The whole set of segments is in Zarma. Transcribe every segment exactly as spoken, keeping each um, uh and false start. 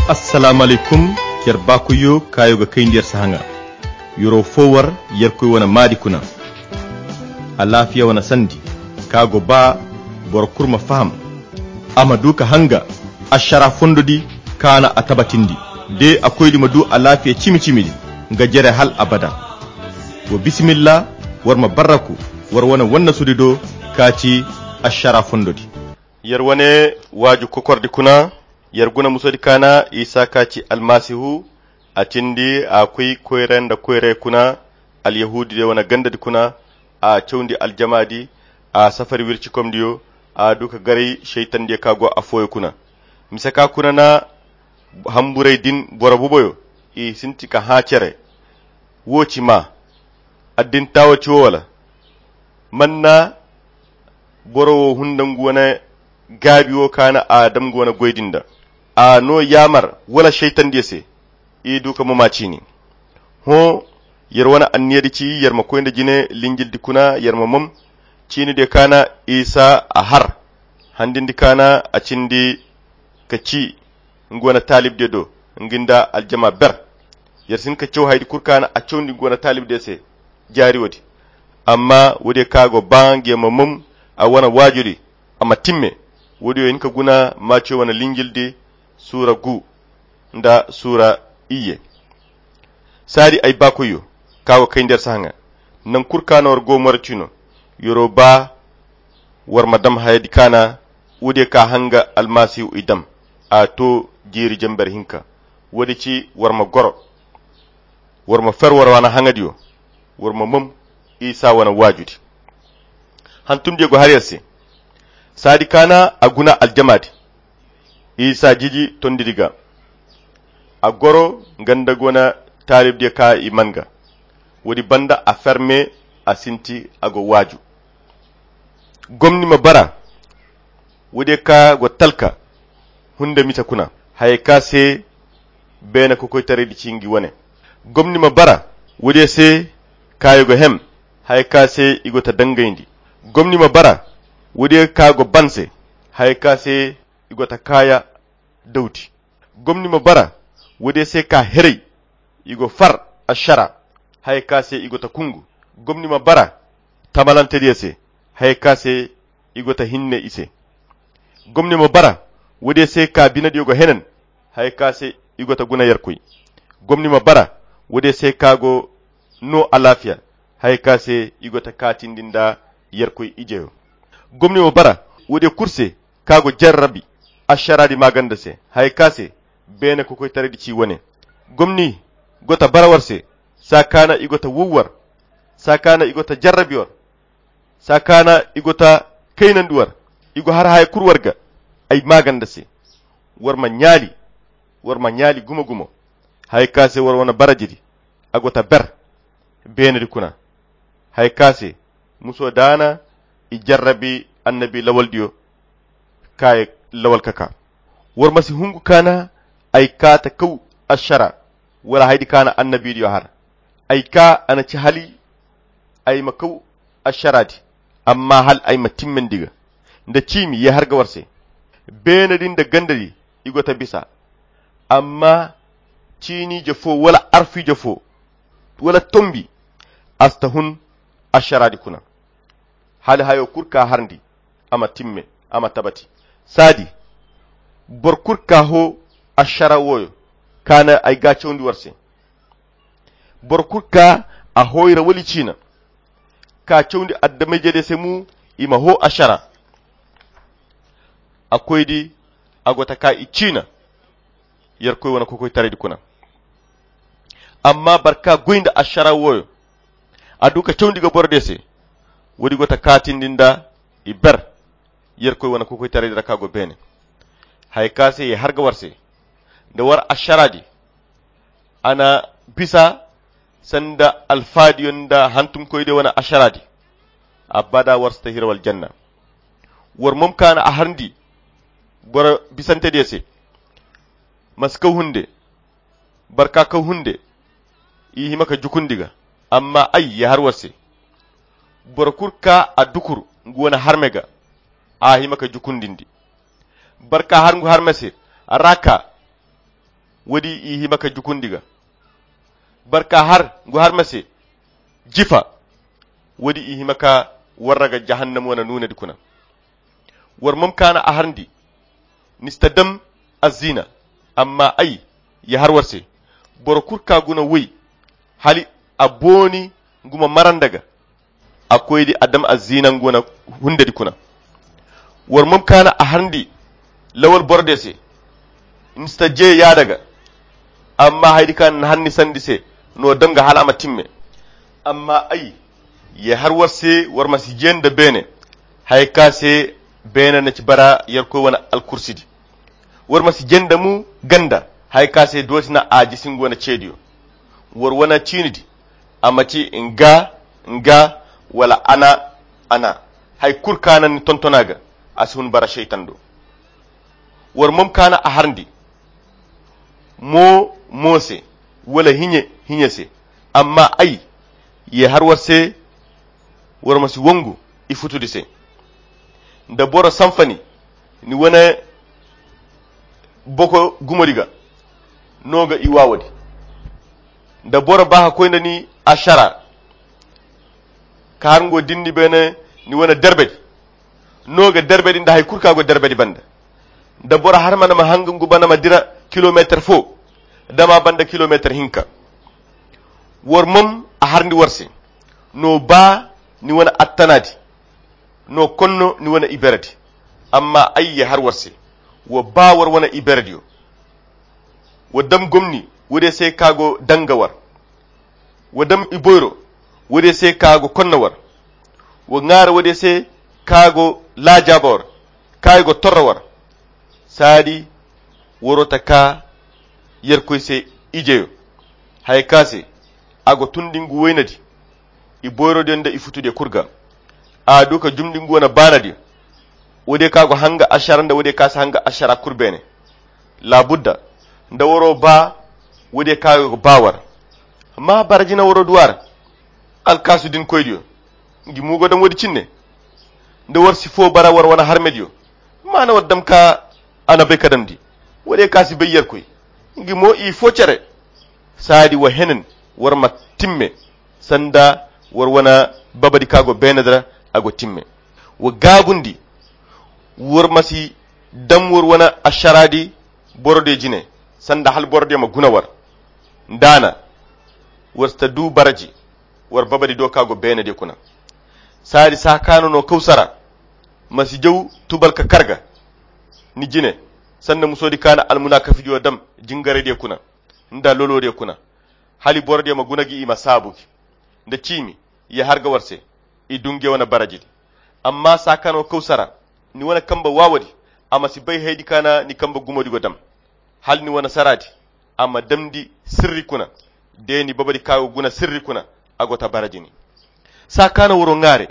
Assalaamu alaykum. Yer baakoyyo kaayo ga kayndi yer sahaŋa. Yer'o fo war yerkoy wane maadi kuna. Alaafiya wane sandi ka go ba boro kulu ma faham, a ma du ka hanga ašara fondo di kaana a tabatindi. De a koydi ma du alaafiya cimi-cimi di nga jere hal abada. Wa bisimilla, war ma barraku war wane wannasudi do ka ci ašara fondo di. Yer wane waaju kokordi kuna. Yer guna musodi kaana isa ka ci almasihu. A cindi a koy koyra nda koyray kuna. Alyahuudi diyo wane gandadi kuna. A cawndi aljamaadi. A safari wircikomdiyo. A du ka garay šaytandiyo ka go affooyo kuna. Mise ka kuna na hamburay din boro boboyo i sinti ka hã cere. Wo ci maa addinta wo ci wo wala? Man na boro wo hunda ngu wane gaabi wo kaana a dam ngu wane goy din da? A no yaamar wala šaytandiyo se? I du ka moma ciini. Hõ, yer wane anniyadi ci yer ma koy nda jine linjildi kuna yer ma mom. Ciinidiyo kaana isa a har handindi kaana a cindi ka ci ngu wane taalibdiyo do, ngi nda aljama ber. Yer si hin ka caw hayadi kulu kaana a cawndi ngu wane taalibdiyo se jaari woodi. Amma woodiyo ka go ba ngiyo ma mom a wane waajudi a ma timme. Woodiyo hin ka guna maciyo wane linjildi suura gu nda suura iyye. Saadi ay baakoyyo ka go kayndi yer sahaŋa. Naŋ kulu ka no war go moro ciino yer'o ba war ma dam hayadi kaana. Woodiyo ka hanga almasihu i dam a to jiiri jember hinka. Woodi ci war ma goro, war ma fer war wane haŋadiyo, war ma mom isa wane waajudi. Hantumdiyo go har yer se. Saadi kaana a guna aljamaadi isa jiji tondidi ga. A goro nga nda guna taalibdiyo ka i man ga. Woodi banda a ferme a sinti a go waaju. Gomni ma bara woodiyo ka go talka hunde mise kuna. Hayey ka se beene kokoytaraydi ci ngi wane. Gomni ma bara woodiyo se kaayo go hem. Hayey ka se i go ta dangayndi. Gomni ma bara woodiyo ka go ban se. Hayey ka se i go ta kaaya dawdi. Gomni ma bara woodiyo se ka heray i go far ašara. Hayey ka se i go ta kungu. Gomni ma bara tamalantediyo se. Hayey ka se i go ta hinne i se. Gomni ma bara woodiyo se ka binediyo go henen. Hayey ka se i go ta guna yerkoy. Gomni ma bara woodiyo se ka go no alaafiya. Hayey ka se i go ta kaatindi nda yerkoy ijeyo. Gomni ma bara woodiyo kulu se ka go jarrabi ašaraadi maaganda se. Hayey ka se beene kokoytaraydi ci wane. Gomni go ta bara war se saa kaana i go ta wow war, saa kaana i go ta jarrabi war, saa kaana i go ta kaynandi war. I go har haya kulu war ga ay maaganda se. War ma ɲaali, war ma ɲaali gumo-gumo. Haya ka se war wane barajidi a go ta ber beenedi kuna. Haya ka se muso daana i jarrabi annabi lawaldiyo. Kaaye lawal ka kaa. War ma si hungu kaana ay kaa ta kaw ašara wala haydi kaana annabidiyo har. Ay kaa a na ci hali ay ma kaw ašaraadi. Amma hal ay ma timmandi ga nda ciimi ye har ga war se. Beene din nda ganda di i go ta bisa. Amma ciiniije fo wala arfiije fo wala tombi a si ta hun ašaraadi kuna. Hala hayo kulu ka harndi a ma timme, a ma tabati. Saadi boro kulu ka hoo ašara wooyo ka na ay gaacawndi war se. Boro kulu ka a hooyra wali ciina ka cawndi adama-ijediyo se mo i ma hoo ašara. A koydi a go ta ka i ciina yerkoy wane kokoytaraydi kuna. Amma boro ka goy nda ašara wooyo a du ka cawndi ga borodiyo se. Woodi go ta kaatindi nda i ber yerkoy wane kokoytaraydi ra ka go beene. Haya ka se ye har ga war se nda war ašaraadi a na bisa sanda alfaadiyo nda hantumkoydiyo wane ašaraadi. Abada war si ta hira wala janna. War mom ka na a harndi boro bisantediyo se. Ma si kaw hunde. Boro ka kaw hunde i hima ka jukundi ga. Amma ay ye har war se boro kulu ka a dukur ngu wane harme ga a hima ka jukundindi. Boro ka har ngu harme se a ra ka Woodi i hima ka jukundi ga barka har ngu har ma se jifa. Woodi i hima ka warra ga jahannam wane nuunadi kuna. War mom kaana a harndi ni si ta dam azzina. Amma ay ya har war se boro kul ka guna woy hali a booni ngu ma maranda ga. A koydi a dam azzina ngu wane hundedi kuna. War mom kaana a harndi lawal borodiyo se ni si ta je yaada ga. Amma haydi ka na harndi sandi se no dam ga hala a ma timme. Amma ay ya har war se war ma si je nda beene haya ka se beene na ci bara yerkoy wane alkursidi. War ma si je nda mu ganda haya ka se dooti na a jisi ngu wane ceediyo. War wane ciinidi a ma ci nga nga wala ana ana. Hay kul kaana ni tontona ga a si hun bara seytan do. War mom kaana a harndi mo mo se wala hiɲe hiɲe se. Amma ay ya har war se war ma si wangu i futudi se. Nda boro sanfani ni wane boko gumodi ga no ga i waawodi. Nda boro ba ka koy nda ni ašara ka har ngo dindi beene ni wane derbedi no ga derbedi nda hay kul ka go derbedi banda. Nda boro har ma na ma hanga ngu bana ma dira kilomeetar fo dama banda kilomeetar hinka. War mom a harndi war se no ba ni wane attanadi no konno ni wane iberedi. Amma ay ya har war se wa ba war wane iberediyo. Wa dam gomni woodiyo se ka go danga war. Wa dam iboyro woodiyo se ka go konna war. Wa ŋaara woodiyo se ka go laajaaba war ka i go torra war. Saadi waro ta ka yerkoy se ijeyo haya ka se a go tundi ngu woynadi i boyrodiyo nda i futudiyo kul ga. A du ka jumndi ngu wane baanadiyo woodiyo ka go hanga ašara nda woodiyo ka si hanga ašara kul beene. Laabudda nda waro ba woodiyo ka go ba war. Amma bara jina waro du a ra alkaasu din koydiyo ngi mo go dam woodi cinne. Nda war si fo bara war wane harmediyo maana war dam ka a na bay ka damndi woodiyo ka si bay yerkoy ngi mo i fo cere. Saadi wa henan war ma timme sanda war wane babadi ka go beenedi ra a go timme. Wa gaabundi war ma si dam war wane ašaraadi borodiyo jine sanda hala borodiyo ma guna war. Nda a na war si ta du baraji war babadi do ka go beenediyo kuna. Saadi saakaano no kawsara ma si jaw tubal ka kar ga ni jine sanda musoodi ka na almunaakafidiyo dam jingaraydiyo kuna nda loloodiyo kuna. Hala borodiyo ma guna gi i ma saabu gi nda ciimi ya har ga war se i du nge wane barajidi. Amma saakaano kawsara ni wane kambe waawadi a ma si bay haydi ka na ni kambe gumodi go dam. Hala ni wane saraadi a ma damndi sirri kuna de ni babadi ka go guna sirri kuna a go ta baraji ni. Saakaano waro ŋaare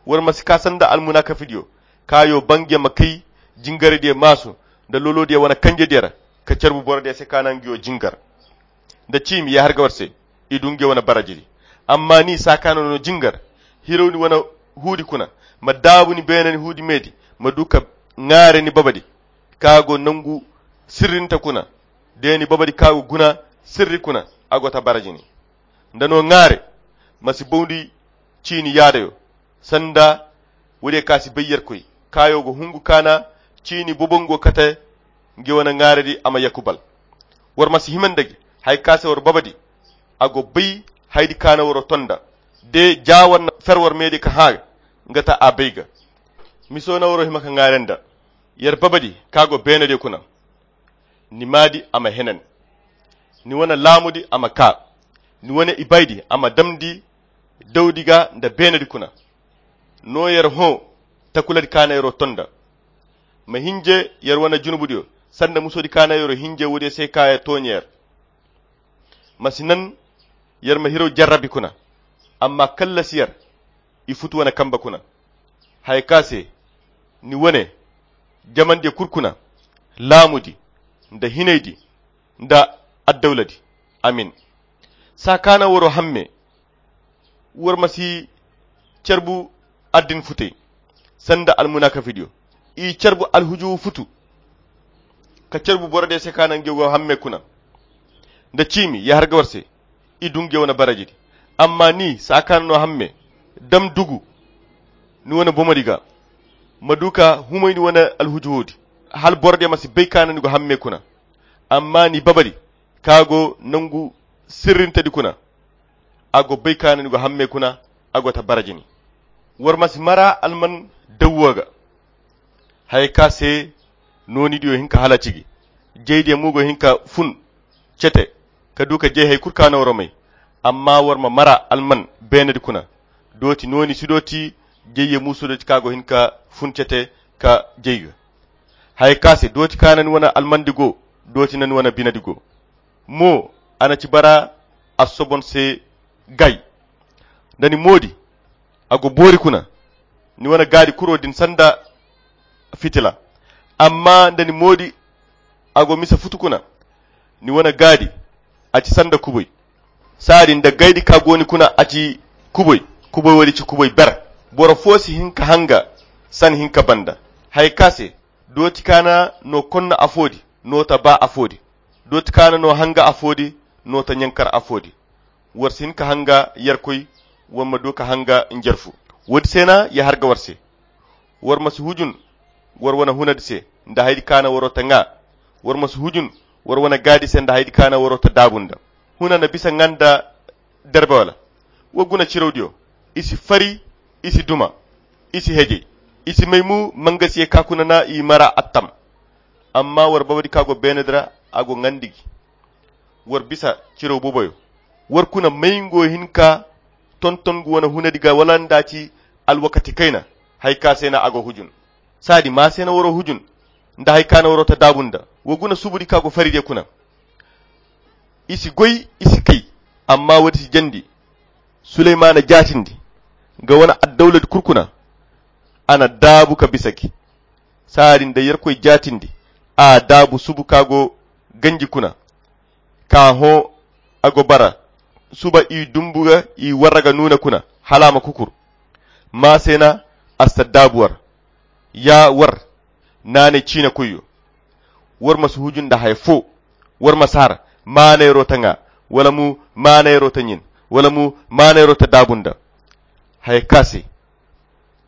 war ma si ka sanda almunaakafidiyo kaayo ba nge ma kay jingaraydiyo maasu nda loloodiyo wane kanjediyo ra ka carbu borodiyo se ka na ngiyo jingar nda ciimi ya har ga war se i du nge wane barajidi. Amma ni saakaano no jingar hiraw ni wane huudi kuna ma daabu ni beene ni huudi meedi ma du ka ŋaare ni babadi ka go nangu sirrinta kuna de ni babadi ka go guna sirri kuna a go ta baraji ni. Nda no ŋaare ma si bawndi ciini yaadayo sanda woodiyo ka si bay yerkoy kaayo go hungu ka na ciini bobongo kate nge wane ŋaaredi a ma yakubal. War ma si hima nda gi haya ka se war babadi a go bay haydi ka na waro tonda de ja war na fer war meedi ka hã nga ta a bay ga. Miso na waro hima ka ŋaare nda yer babadi ka go beenediyo kuna. Ni maadi a ma henan ni wane laamudi a ma ka ni wane ibaydi a ma damndi dawdi ga nda beenedi kuna. No yer hõ takuladi ka na yero tonda ma hinje yer wane junubudiyo sanda musodi ka na yero hinje woodiyo se ka ya tooɲe yer. Ma si nan yer ma hiro jarrabi kuna amma kallasi yer i futu wane kambe kuna. Haya ka se ni wane jamandiyo kul kuna laamudi nda hinaydi nda addawladi. Amin. Saa ka na waro hamme war ma si carbu addin futey sanda almunaakafidiyo i carbu alhujuwu futu ka carbu borodiyo se ka na nge go hamme kuna. nda ciimi ya har ga war se. I dunge wane barajidi. Amma ni saakaana no hamme dam dugu ni wane bomodi ga. Ma du ka humay ni wane alhuju woodi hala borodiyo ma si bay ka na ni go hamme kuna. Amma ni babadi ka go nangu sirrintedi kuna. A go bay ka na ni go hamme kuna. A go ta baraji ni. War ma si mara alman dawwa ga. Haya ka se noonidiyo hin ka halaci gi. Jaydiyo mo go hin ka fun cete ka du ka jay hay kulu ka na war may. Amma war ma mara alman beenedi kuna. Dooti nooni si dooti. Jayye muusu dooti ka go hin ka fun cete ka jay ga. Haya ka se dooti ka na ni wane almandi go. Dooti na ni wane binedi go. Mo a na ci bara a sobon se gay. Nda ni moodi a go boori kuna. Ni wane gaadi kuro din sanda fitila. Amma nda ni moodi a go misa futu kuna. Ni wane gaadi a ci sanda kubay. Saadi nda gaydi ka go ni kuna a ci kubay. Kubay woodi ci kubay ber. Boro fo si hin ka hanga san hin ka banda. Haya ka se dooti ka na no konna afoodi. No ta ba afoodi. Dooti ka na no hanga afoodi. No ta ɲankar afoodi. War si hin ka hanga yarkoy. War ma du ka hanga njarfu. Woodi se na ya har ga war se. War ma si hujun war wane hunadi se nda haydi ka na waro ta ŋa. War ma si hujun war wane gaadi se nda haydi ka na waro ta daabu nda. Huna na bisa ŋa nda derbe wala. Wa guna cirawdiyo. I si fari. I si duma. I si hejey. I si may mu mangasiye ka kuna na i mara attam. Amma war babadi ka go beenedi ra a go ŋandi gi. War bisa ciraw boboyo. War kuna may ngo hin ka tonton ngu wane hunadi ga wala nda ci alwakati kayna. Hay ka se na a go hujun. Saadi ma se na waro hujun nda hay ka na waro ta daabu nda. Wa guna subudi ka go fari de kuna. I si goy i si kay. Amma woodi si jandi. Suleymaana jaatindi ga wane addawladi kulu kuna. A na daabu ka bisa gi. Saadi nda yerkoy jaatindi a daabu subu ka go ganji kuna. Ka hõ a go bara suba i dumbu ga i warra ga nuuna kuna hala a ma kukur. Maa se na a si ta daabu war. Ya war naanay ciinakoyyo. War ma si huju nda haya fo. War ma si har maanayro ta ŋa wala mo maanayro ta ɲin wala mo maanayro ta daabu nda haya ka se.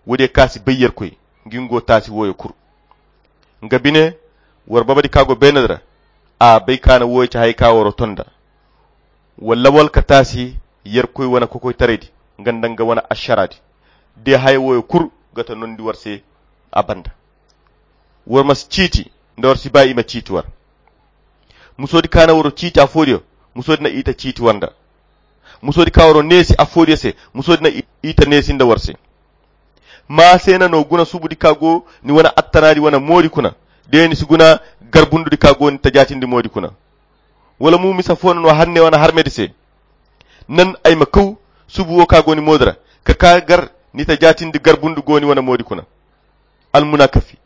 Woodiyo ka si bay yerkoy ngi ngo taasi wooyo kulu. Nga bine war babadi ka go beenedi ra. A bay ka na wooyo ci haya ka waro ton nda walla wala ka taasi yerkoy wane kokoytaraydi nga nda nga wane ašaraadi. De haya wooyo kulu ga ta nondi war se. A banda war ma si ciiti nda war si ba i ma ciiti war. Musoodi ka na waro ciiti afoodiyo musoodi na i ta ciiti war nda. Musoodi ka waro neesi afoodiyo se musoodi na i ta neesi nda war se. Maa se na no guna subudi ka go ni wane attanaadi wane moodi kuna. De ni si guna garbundudi ka go ni ta jaatindi moodi kuna. Wala mo misa fo na no hanne wane harmedi se. Nan ay ma kaw subu wo ka go ni moodi ra ka ka gar ni ta jaatindi garbundu go ni wane moodi kuna. Almunakafi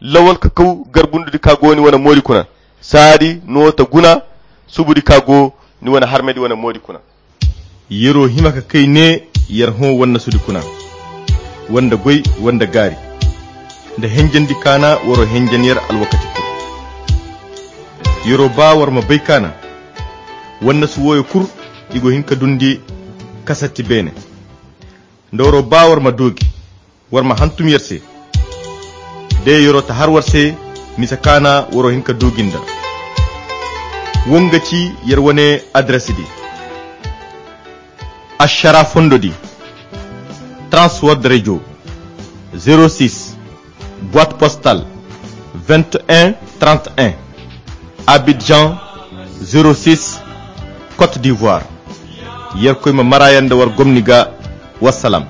lawal ka kaw garbundudi ka go ni wane moodi kuna. Saadi no ta guna subudi ka go ni wane harmedi wane moodi kuna. Yero hima ka kay ne yer hõ wannasudi kuna wanda goy wanda gaari nda henjandi kaana waro henjan yer alwakati kul. Yero ba war ma bay kaana wannasu wooyo kul i go hin ka dundi kasatti beene. Nda waro ba war ma doogi war ma hantum yer se. De yero ta har war se misa kaana waro hin ka doogi nda. Wo nga ci yer wane adres di. Ašara fondo di. Transworld radio. Zero six boite postale vingt et un trente et un. Abidjan. Zero six. Côte d'ivoire. Yerkoy ma mara yer nda war gomni ga. Wassalam.